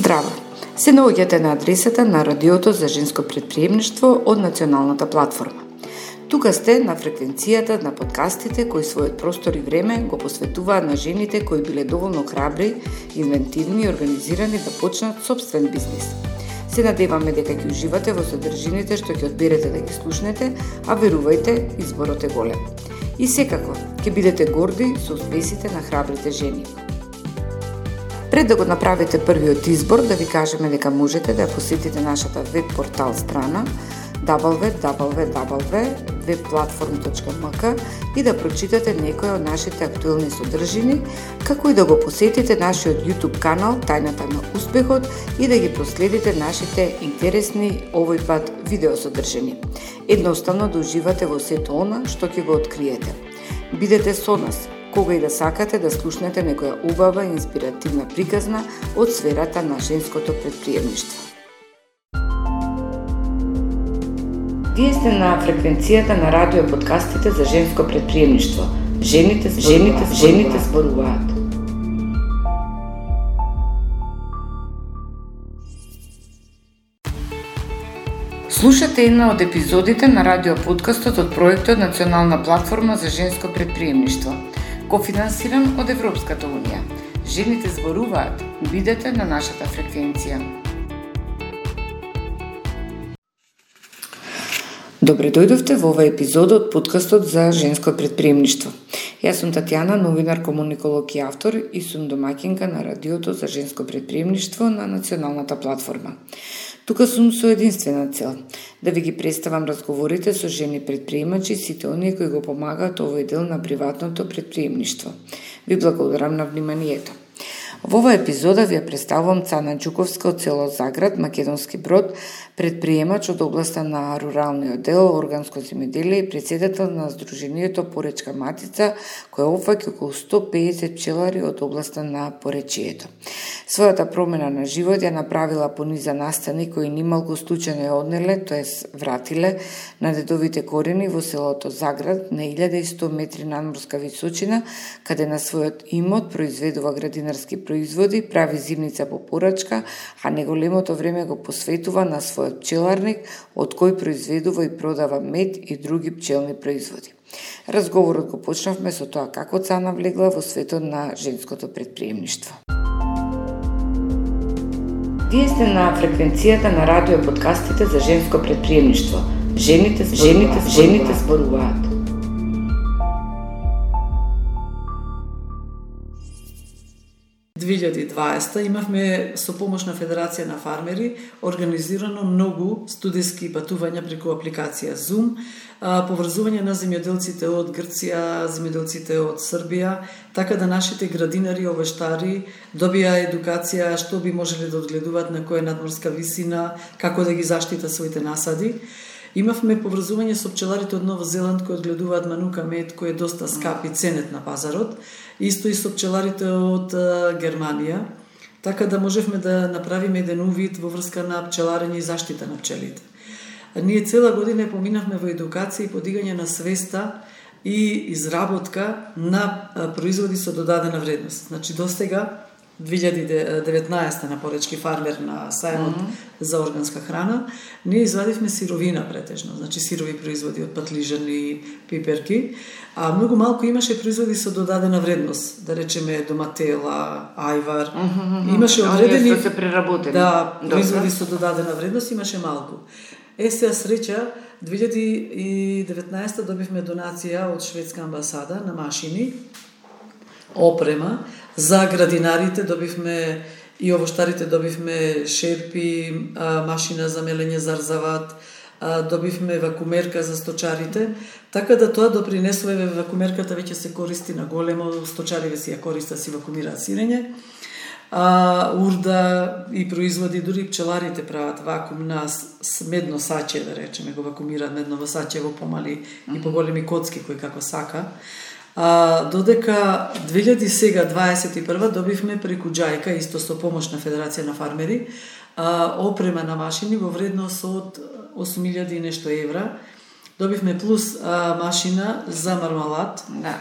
Здраво! Се наоѓате на адресата на Радиото за женско претприемништво од Националната платформа. Тука сте на фреквенцијата на подкастите кои својот простор и време го посветуваат на жените кои биле доволно храбри, инвентивни и организирани да почнат собствен бизнис. Се надеваме дека ќе уживате во содржините што ќе одберете да ги слушнете, а верувајте, изборот е голем. И секако, ќе бидете горди со успесите на храбрите жени. Пред да го направите првиот избор, да ви кажеме дека можете да посетите нашата веб-портал страна www.webplatform.mk и да прочитате некои од нашите актуелни содржини, како и да го посетите нашиот YouTube канал Тајната на успехот и да ги проследите нашите интересни овој пат видеосодржини. Едноставно да уживате во сето она што ќе го откриете. Бидете со нас кога и да сакате да слушнете некоја убава и инспиративна приказна од сферата на женското претприемништво. Вие сте на фреквенцијата на радио подкастите за женско претприемништво. Жените зборуваат. Слушате една од епизодите на радио подкастот од проектот Национална платформа за женско претприемништво, кофинансиран од Европската унија. Жените зборуваат. Бидете на нашата фреквенција. Добре дојдовте во оваа епизода од подкастот за женско претприемништво. Јас сум Татјана, новинар, комуниколог и автор и сум домаќинка на Радиото за женско претприемништво на Националната платформа. Тука сум со единствена цел да ви ги представам разговорите со жени предприемачи и сите оние кои го помагаат овој дел на приватното претприемништво. Ви благодарам на вниманието. Во оваа епизода ви ја представувам Цана Џуковска од село Заград, Македонски Брод, предприемач од областа на руралниот дел, органско земјоделие и претседател на Сдруженијето Поречка Матица, која опфаќа околу 150 пчелари од областа на поречието. Својата промена на живот ја направила по низа настани кои нималку случајно ја однеле, тоест вратиле, на дедовите корени во селото Заград на 1100 метри надморска височина, каде на својот имот произведува градинарски производи, прави зимница по порачка, а неголемото време го посветува на својот пчеларник, од кој произведува и продава мед и други пчелни производи. Разговорот го почнавме со тоа како Цана влегла во светот на женското претприемништво. Вие сте на фреквенцијата на радио подкастите за женско претприемништво. Жените зборуваат. Во 2020 имавме со помош на Федерација на фармери организирано многу студиски патувања преку апликација Zoom, поврзување на земјоделците од Грција, земјоделците од Србија, така да нашите градинари, овештари добија едукација што би можеле да одгледуваат на која надморска висина, како да ги заштитат своите насади. Имавме поврзување со пчеларите од Нова Зеланд кои одгледуваат манука мед кој е доста скап и ценет на пазарот, исто и со пчеларите од Германија, така да можевме да направиме еден увид во врска на пчеларење и заштита на пчелите. Ние цела година поминавме во едукација и подигање на свеста и изработка на производи со додадена вредност. Значи, достига 2019 на Поречки фармер на сајмот за органска храна, ние извадивме сировина претежно, значи сирови производи од патлижани, пиперки, а многу малку имаше производи со додадена вредност, да речеме доматела, ајвар, имаше одредени што се преработени. Да, производи со додадена вредност имаше малку. Сега среќа 2019 добивме донација од шведска амбасада на машини, опрема за градинарите, добивме и овоштарите, добивме шерпи, машина за мелење зарзават, добивме вакуумерка за сточарите, така да тоа допринесува, вакуумерката веќе се користи на големо, сточариве си ја користат, си вакуумираат сирење, урда и производи, дури пчеларите прават вакуум на медно саче, да речеме, го вакуумираат медново саче во помали и поголеми коцки кои како сака. Додека 2021 добивме преку Џајка, исто со помош на Федерација на фармери, опрема на машини во вредност од 8.000 и нешто евра, Добивме плюс машина за мармалад. Да,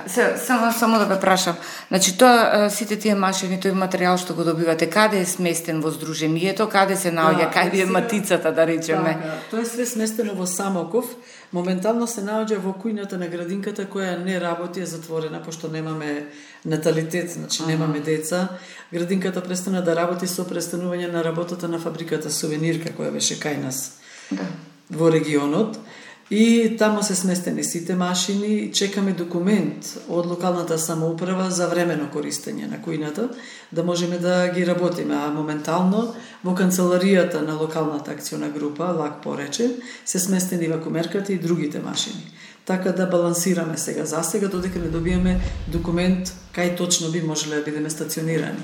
само да ве прашам. Значи тоа сите тие машини, тој материјал што го добивате, каде е сместен во здружението, каде се наоѓа, каде е матицата, да речеме? Тоа е све сместено во Самоков. Моментално се наоѓа во кујната на градинката која не работи, е затворена пошто немаме наталитет, значи немаме деца. Градинката престана да работи со престанување на работата на фабриката Сувенирка која беше кај нас во регионот. И тамо се сместени сите машини, чекаме документ од локалната самоуправа за времено користење на кујната, да можеме да ги работиме. А моментално во канцеларијата на локалната акциона група, ЛАК порече, се сместени вакуумерката и другите машини. Така да балансираме сега додека не добиеме документ кај точно би можеле да бидеме стационирани.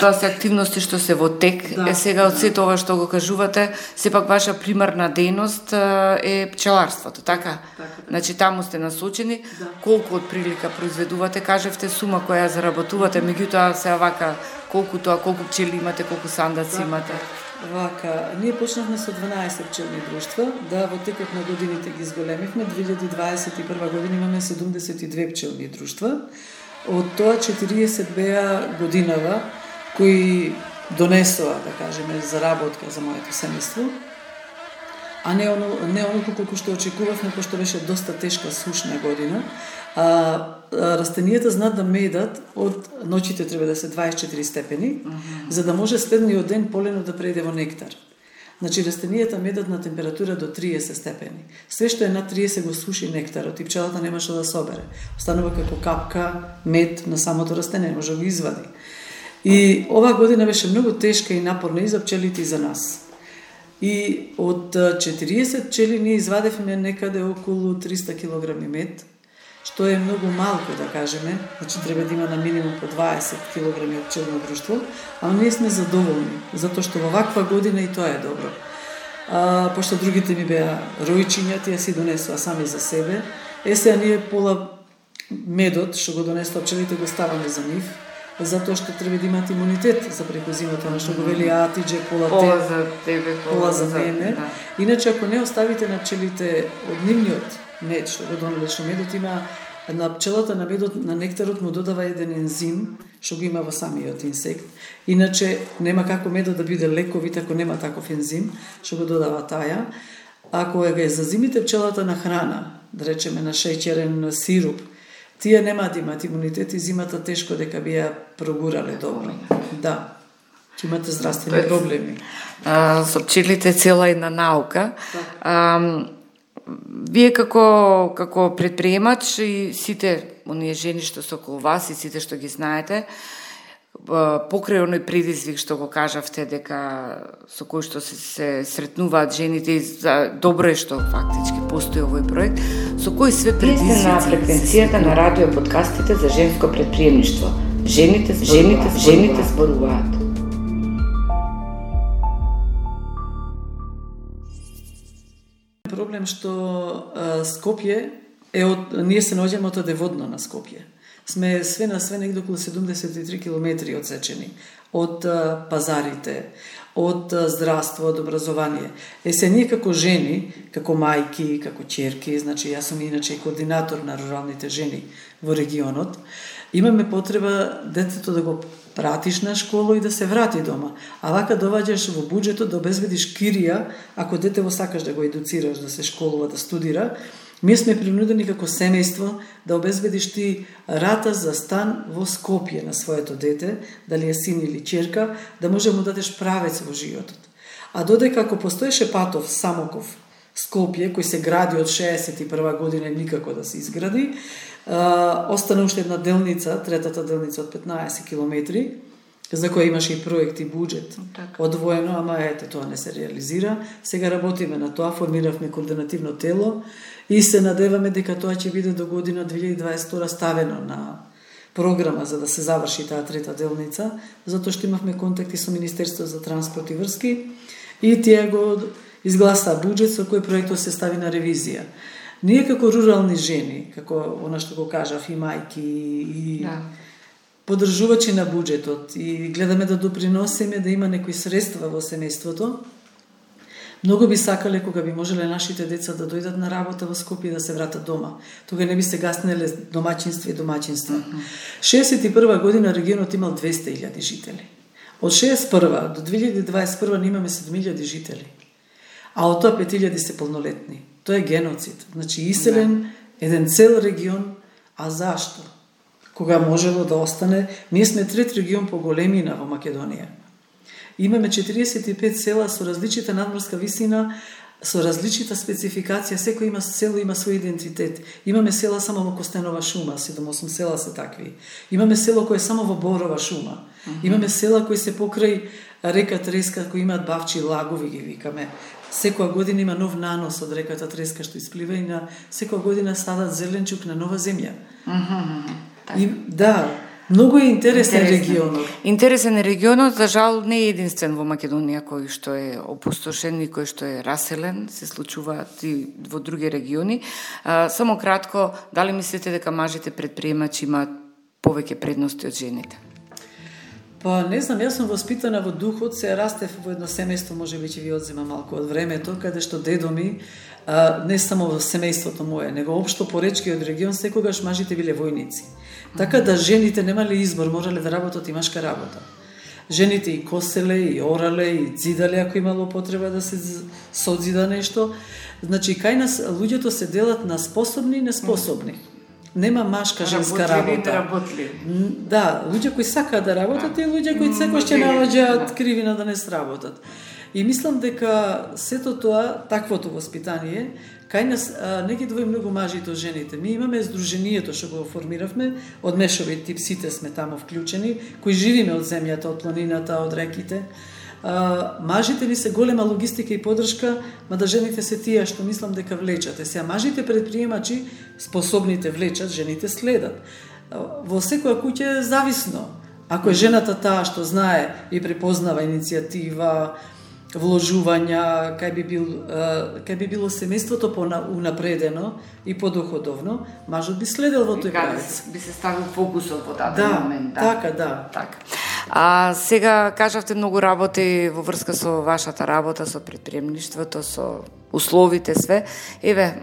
Тоа се активности што се во тек. Сега од сето ова што го кажувате, сепак ваша примарна дејност е пчеларството, така? Значи таму сте насочени. Колку од прилика произведувате, кажевте сума која заработувате, меѓутоа се вака колку пчели имате, колку сандаци имате? Вака, ние почнавме со 12 пчелни друштва, да во текот на годините ги зголемивме. 2021 година имаме 72 пчелни друштва. Од тоа 40 беа годинава кои донесоа, да кажеме, заработка за моето семејство, а не оноку колку што очекувавме, пошто беше доста тешка сушна година. Растенијата знаат да медат од ноќите треба да се 24 степени, за да може следниот ден полено да преиде во нектар. Значи растенијата медат на температура до 30 степени. Све што е над 30 го суши нектарот и пчелата нема што да собере. Останува како капка мед на самото растение, може да го извади. И оваа година беше многу тешка и напорна и за пчелите и за нас. И од 40 пчели ние извадевме некаде околу 300 кг мед, што е многу малку, да кажеме. Значи треба да има на минимум по 20 кг од пчелно друштво, а ние сме задоволни, затоа што во ваква година и тоа е добро. Пошто другите ми беа ројчиња, тие си донесоа сами за себе. Сега ние пола медот што го донесоа пчелите го ставаме за нив, затоа што треба да имат имунитет за преку зимата, што го вели Атидже, пола за тебе, пола за мене. Иначе ако не оставите на пчелите од нивниот мед што го донеле, што медот има на пчелата, на медот, на нектарот му додава еден ензим што го има во самиот инсект. Иначе нема како медот да биде лековит ако нема таков ензим што го додава таја. Ако е за зимите пчелата на храна, да речеме на шеќерен сируп, тие нема да имат имунитет и зимата тешко дека би ја прогурале добро. Да. Ќе имате здравствени проблеми. Со пчелите цела една наука. Вие како предприемач и сите оние жени што се околу вас и сите што ги знаете, покрај оној предизвик што го кажавте дека со кој што се сретнуваат жените и добро е што фактички постои овој проект, со кои све предизвици? Вие сте на фреквенцијата на радио подкастите за женско предприемништво. Жените зборуваат. Проблем што Скопје ние се наоѓаме од водно на Скопје. Сме све на све негде околу 73 километри одсечени од пазарите, од здравство, од образование. Се ние како жени, како мајки, како ќерки, значи јас сум иначе и координатор на руралните жени во регионот, имаме потреба детето да го пратиш на школа и да се врати дома. А вака доваѓаш во буџетот да обезбедиш кирија, ако детево сакаш да го едуцираш, да се школува, да студира. Ние сме принудени како семејство да обезбедиш ти рата за стан во Скопје на своето дете, дали е син или ќерка, да може да му дадеш правец во животот. А додека ако постоеше патов Самоков Скопје, кој се гради од 61 година никако да се изгради, остана уште една делница, третата делница од 15 километри, за која имаше и проект и буџет одвоено, ама ете, тоа не се реализира. Сега работиме на тоа, формиравме координативно тело и се надеваме дека тоа ќе биде до година 2022 ставено на програма за да се заврши таа трета делница, затоа што имавме контакти со Министерството за транспорт и врски и тие го изгласа буџет со кој проектот се стави на ревизија. Ние како рурални жени, како она што го кажав, и мајки, и поддржувачи на буџетот, и гледаме да доприносиме да има некои средства во семејството, Многу би сакале кога би можеле нашите деца да дојдат на работа во Скопје и да се вратат дома. Тога не би се гаснеле домаќинства и домаќинства. 61 година регионот имал 200.000 жители. Од 61 до 2021 не имаме 7.000 жители. А од тоа 5.000 се полнолетни. Тоа е геноцид. Значи иселен еден цел регион, а зашто? Кога можело да остане, ние сме трет регион по големина во Македонија. Имаме 45 села со различита надморска висина, со различита спецификација, секој село има свој идентитет. Имаме села само во Костенова шума, 7-8 села се такви. Имаме село кој е само во Борова шума. Имаме села кои се покрај река Треска, кои имаат бавчи лагови, ги викаме. Секоја година има нов нанос од реката Треска што исплива и на секоја година садат зеленчук на нова земја. И, да, многу е интересен регионот. Интересен е регионот, за жал не е единствен во Македонија кој што е опустошен и кој што е раселен, се случуваат и во други региони. Само кратко, дали мислите дека мажите предприемачи имаат повеќе предности од жените? Па не знам, јас сум воспитана во духот, се растев во едно семејство, може би ќе ви одзема малку од времето, каде што дедо ми, не само во семејството мое, него општо поречкиот регион, секогаш мажите биле војници. Така да жените немале избор, морале да работат и машка работа. Жените и коселе, и орале, и дзидале, ако имало потреба да се содзида нешто. Значи, кај нас луѓето се делат на способни и неспособни. Нема машка женска работа. Да, луѓе кои сакаат да работат и луѓе кои секој ќе наоѓаат кривина да не сработат. И мислам дека сето тоа, таквото воспитание, кај нас не ги двои многу мажите од жените. Ми имаме здруженијето што го формиравме, од мешовит тип, сите сме тамо вклучени, кои живиме од земјата, од планината, од реките. Мажите ни се голема логистика и поддршка, мада жените се тие што мислам дека влечат. Сега мажите предприемачи, способните влечат, жените следат. Во секоја куќа е зависно. Ако е жената таа што знае и препознава иницијатива, вложувања, кај би било семејството поунапредено и подоходовно, мажот би следел во тој правец. Би се ставил фокусот во даден момент. Така. А сега кажавте многу работи во врска со вашата работа, со предприемништвото, со условите, све. Еве,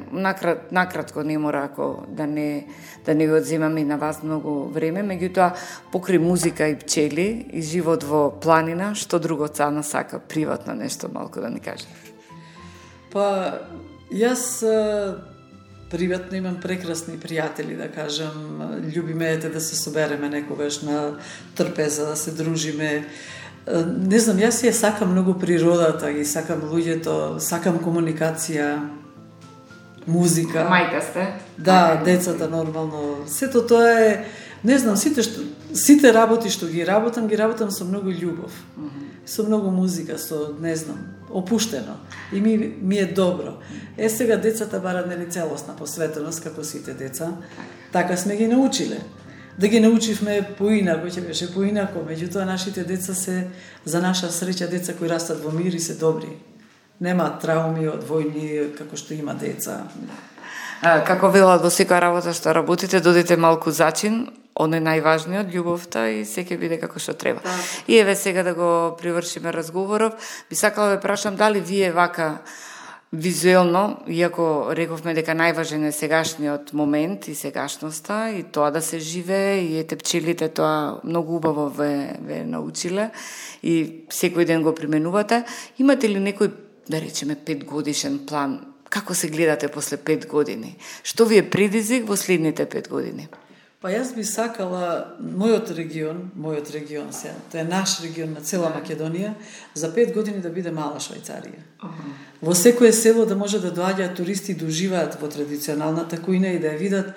накратко, не мора ако да не ви одземаме и на вас многу време, меѓутоа покри музика и пчели и живот во планина, што друго Цана сака приватно нешто малку да ни каже? Па, јас приватно имам прекрасни пријатели, да кажам, љубиме да се собереме некогаш на трпеза, да се дружиме. Не знам, јас ја сакам многу природата, ги сакам луѓето, сакам комуникација, музика. Мајка сте? Да, децата нормално. Сето тоа е, не знам, сите работи што ги работам со многу љубов. Со многу музика, со, не знам, опуштено. И ми е добро. Сега децата барат нели целосна посветеност, како сите деца. Така сме ги научиле. Да ги научивме поинако, ќе беше поинако, меѓутоа нашите деца се, за наша среќа, деца кои растат во мир и се добри. Нема трауми од војни, како што има деца. Како велат во секоја работа што работите, додите малку зачин, оно е најважниот, љубовта и се ќе биде како што треба. И еве сега да го привршиме разговоров, би сакала да прашам дали вие вака визуелно, иако рековме дека најважен е сегашниот момент и сегашноста и тоа да се живее и ете пчелите тоа многу убаво ве научиле и секој ден го применувате, имате ли некој, да речеме, 5-годишен план? Како се гледате после 5 години? Што ви е предизвик во следните 5 години? Па јас би сакала мојот регион сега, тоа е наш регион на цела Македонија, за 5 години да биде мала Швајцарија. Во секое село да може да доаѓаат туристи да уживаат во традиционалната кујна и да ја видат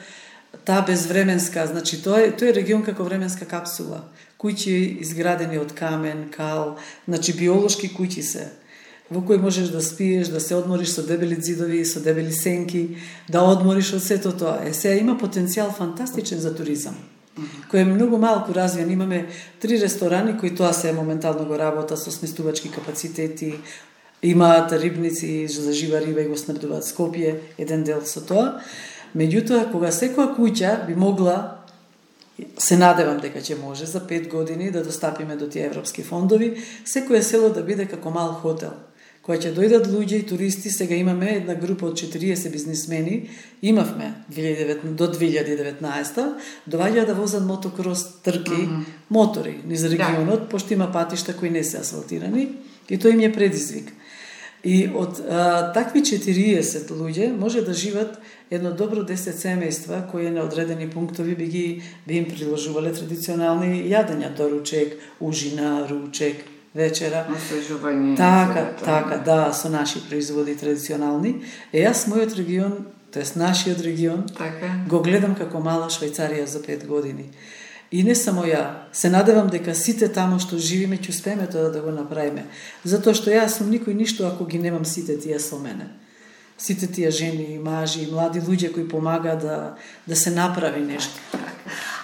таа безвременска, значи тоа е регион како временска капсула. Куќи изградени од камен, кал, значи биолошки куќи се, во кои можеш да спиеш, да се одмориш со дебели ѕидови, со дебели сенки, да одмориш од сето тоа. Сега има потенцијал фантастичен за туризам, кој е многу малку развиен. Имаме 3 ресторани кои тоа се моментално го работа со сместувачки капацитети, имаат рибници за жива риба и го снабдуваат Скопје, еден дел со тоа. Меѓутоа, кога секоја куќа би могла, се надевам дека ќе може за 5 години да достапиме до тие европски фондови, секое село да биде како мал хотел, Кога ќе дојдат луѓе и туристи, сега имаме една група од 40 бизнисмени, имавме до 2019, доаѓаат да возат мотокрос трки, мотори низ регионот, пошто има патишта кои не се асфалтирани, и тоа им е предизвик. И од такви 40 луѓе може да живат едно добро 10 семејства кои на одредени пунктови би им приложувале традиционални јадења, доручек, ужина, ручек, вечера. Освежување. Така, да, со наши производи традиционални. Јас мојот регион, тоест нашиот регион, го гледам како мала Швајцарија за 5 години. И не само ја, се надевам дека сите тамо што живиме ќе успееме тоа да го направиме. Затоа што јас сум никој ништо ако ги немам сите тие со мене. Сите тие жени, мажи и млади луѓе кои помагаат да се направи нешто.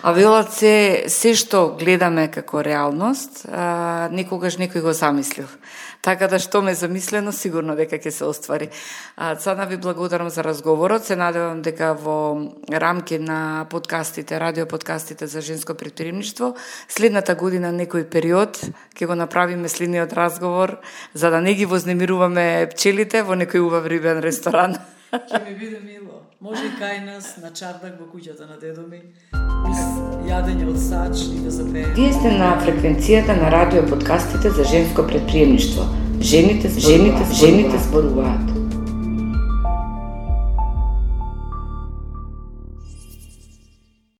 А велат се што гледаме како реалност, никогаш некој го замислил. Така да што ме замислено, сигурно дека ќе се оствари. Цана ви благодарам за разговорот. Се надевам дека во рамки на подкастите, радио подкастите за женско претприемништво, следната година некој период ќе го направиме следниот разговор, за да не ги вознемируваме пчелите во некој убав рибен ресторан. Ќе ми биде мило. Може и кај нас на чардак во куќата на дедо ми, јадење од сач и да запееме. Вие сте на фреквенцијата на радио подкастите за женско претприемништво. Жените зборуваат.